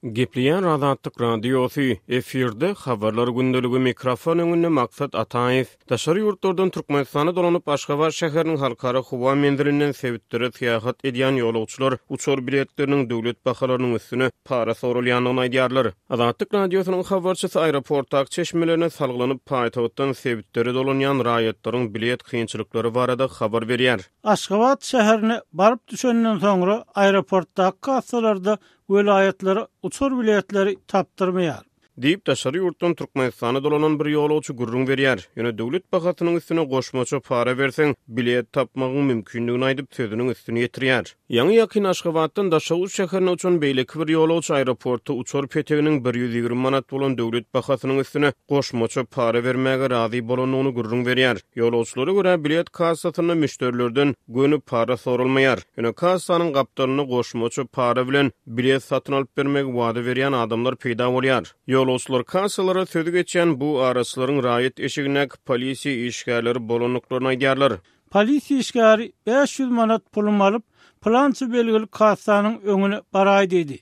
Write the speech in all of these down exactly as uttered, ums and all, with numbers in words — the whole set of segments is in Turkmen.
Gepleýär Azatlyk Radiosy, efirde Habarlar gündeligi, mikrofon öňünde Maksat Ataýew. Daşary ýurtlardan Türkmenistana dolanyp, Aşgabat şäheriniň halkara howa menzilinden sebitlere syýahat edýän ýolagçylar uçar biletleriniň döwlet bahalarynyň üstüne para soralýandygyny aýdýarlar. Azatlyk Radiosynyň habarçysy aeroportdaky çeşmelerine salgylanyp, paýtagtdan sebitlere dolanýan raýatlaryň bilet kynçylyklary barada habar berýär. Aşgabat şäherine baryp düşenden soňra aeroportdaky kassalarda welaýatlara uçar biletleri tapdyrmaýar. Diýip, daşary ýurtdan Türkmenistana dolanan bir ýolagçy gürrüň berýär. Ýöne döwlet bahasynyň üstüne goşmaça para berseň, bilet tapmagyň mümkindigini aýdyp, sözüniň üstüni ýetirýär. Ýaňy-ýakyn Aşgabatdan Daşoguz şäherine uçan beýleki bir ýolagçy aeroportda uçar peteginiň bir ýüz ýigrimi manat bolan döwlet bahasynyň üstüne goşmaça para bermäge razy bolandygyny gürrüň berýär. Ýolagçylara görä, bilet kassasynda müşderilerden göni para soralmaýar. Ýöne kassanyň gapdalynda goşmaça para bilen bilet satyn alyp bermegi wada berýän adamlar peýda bolýar. Ýolagçylar kassalara sözi geçýän bu araçylaryň raýat eşigindäki polisiýa işgärleri bolandyklaryny aýdýarlar. Polisiýa işgäri bäş ýüz manat pulumy alyp, pylança belgili kassanyň öňüne baraý diýdi.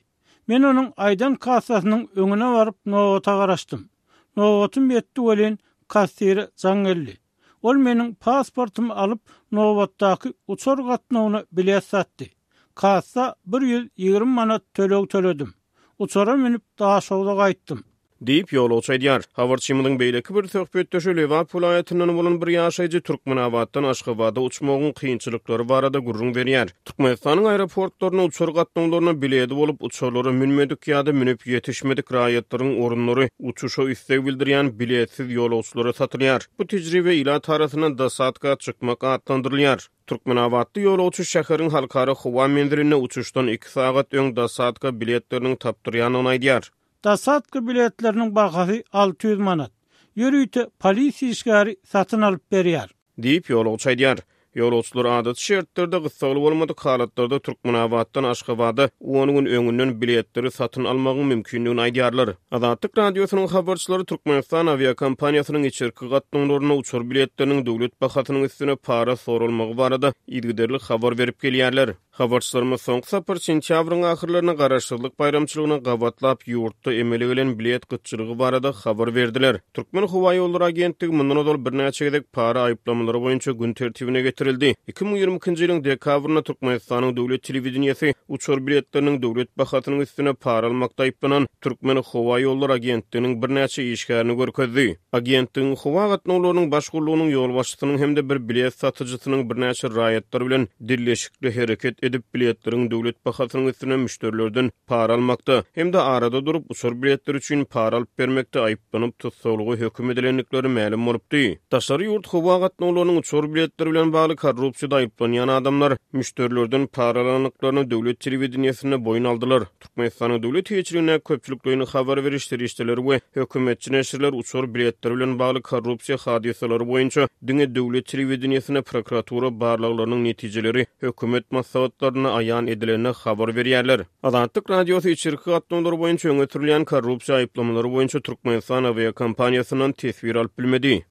Men onuň aýdan kassasynyň öňüne baryp nobata garaşdym. Nobatym ýetdi welin kassire jaň geldi. Ol meniň pasportymy alyp, nobatdaky uçar gatnawyna bilet satdy. Kassa bir ýüz ýigrimi manat töleg töledim. Uçara münüp Daşogza gaýtdym. Diýip, ýolagçy aýdýar. Habarçymyzyň beýleki bir söhbetdeşi Lebap welaýatyndan bolan bir ýaşaýjy Türkmenabatdan Aşgabada uçmagyň kynçylyklary barada gürrüň berýär. Türkmenistanyň aeroportlaryna uçar gatnawlaryna biledi bolup, uçarlara münmedik ýa-da münüp ýetişmedik raýatlaryň orunlary uçuşa isleg bildirýän biletsiz ýolagçylara satylýar. Bu tejribe ilat arasynda dosadka çykmak atlandyrylýar. Türkmenabatly ýolagçy şäheriň halkara howa menzilinde uçuşdan iki sagat öň dosadka biletleriniň tapdyrýandygyny aýdýar. Dosadka biletleriniň bahasy alty ýüz manat. Ýörite polisiýa işgäri satyn alyp berýär. Diýip, ýolagçy aýdýar. Ýolagçylar adaty şertlerde gyssagly bolmadyk halatlarda Türkmenabatdan Aşgabada on gün öňünden biletleri satyn almagyň mümkindigini aýdýarlar. Azatlyk Radiosynyň habarçylary Türkmenistan awiakompaniýasynyň içerki gatnawlarynda uçar biletleriniň döwlet bahasynyň üstüne para soralmagy barada yzygiderli habar berip gelýärler. Habarçylarymyz soňky sapar sentýabryň ahyrlaryna Garaşsyzlyk baýramçylygyna gabatlap ýurtda emele gelen bilet gytçylygy barada habar berdiler. Türkmen howa ýollary agentligi mundan ozal birnäçe gezek para aýyplamalary boýunça gün tertibine getirildi. Iki müň ýigrimi ikinji ýylyň dekabrynda Türkmenistanyň döwlet telewideniýesi uçar biletleriniň döwlet bahasynyň üstüne para almakda aýyplanan Türkmen howa ýollary agentliginiň birnäçe işgärini görkezdi. Agentligiň howa gatnawlarynyň baş gullugynyň ýolbaşçysynyň hem-de bir bilet satyjysynyň birnäçe raýatlar bilen dilleşikli hereket edip biletleriň döwlet bahasynyň üstüne müşderilerden para almakda hem-de arada durup uçar biletleri üçin para alyp bermekde aýyplanyp tussaglyga höküm edilendikleri mälim bolupdy. Daşary ýurt howa gatnawlarynyň uçar biletleri bilen bagly korrupsiýada aýyplanýan adamlar müşderilerden para alandyklaryny döwlet telewideniýesinde boýun aldylar. Türkmenistanyň döwlet eýeçiligindäki köpçülikleýin habar beriş serişdeleri we hökümetçi neşirler uçar biletleri bilen bagly korrupsiýa hadysalary boýunça diňe döwlet telewideniýesinde prokuratura barlaglarynyň netijeleri hökümet maslahatlarynda aýan edilenine habar berýärler. Azatlyk Radiosy içerki gatnawlar boýunça öňe sürülýän korrupsiýa aýyplamalary boýunça Türkmenistan awiakompaniýasyndan teswir alyp bilmedi.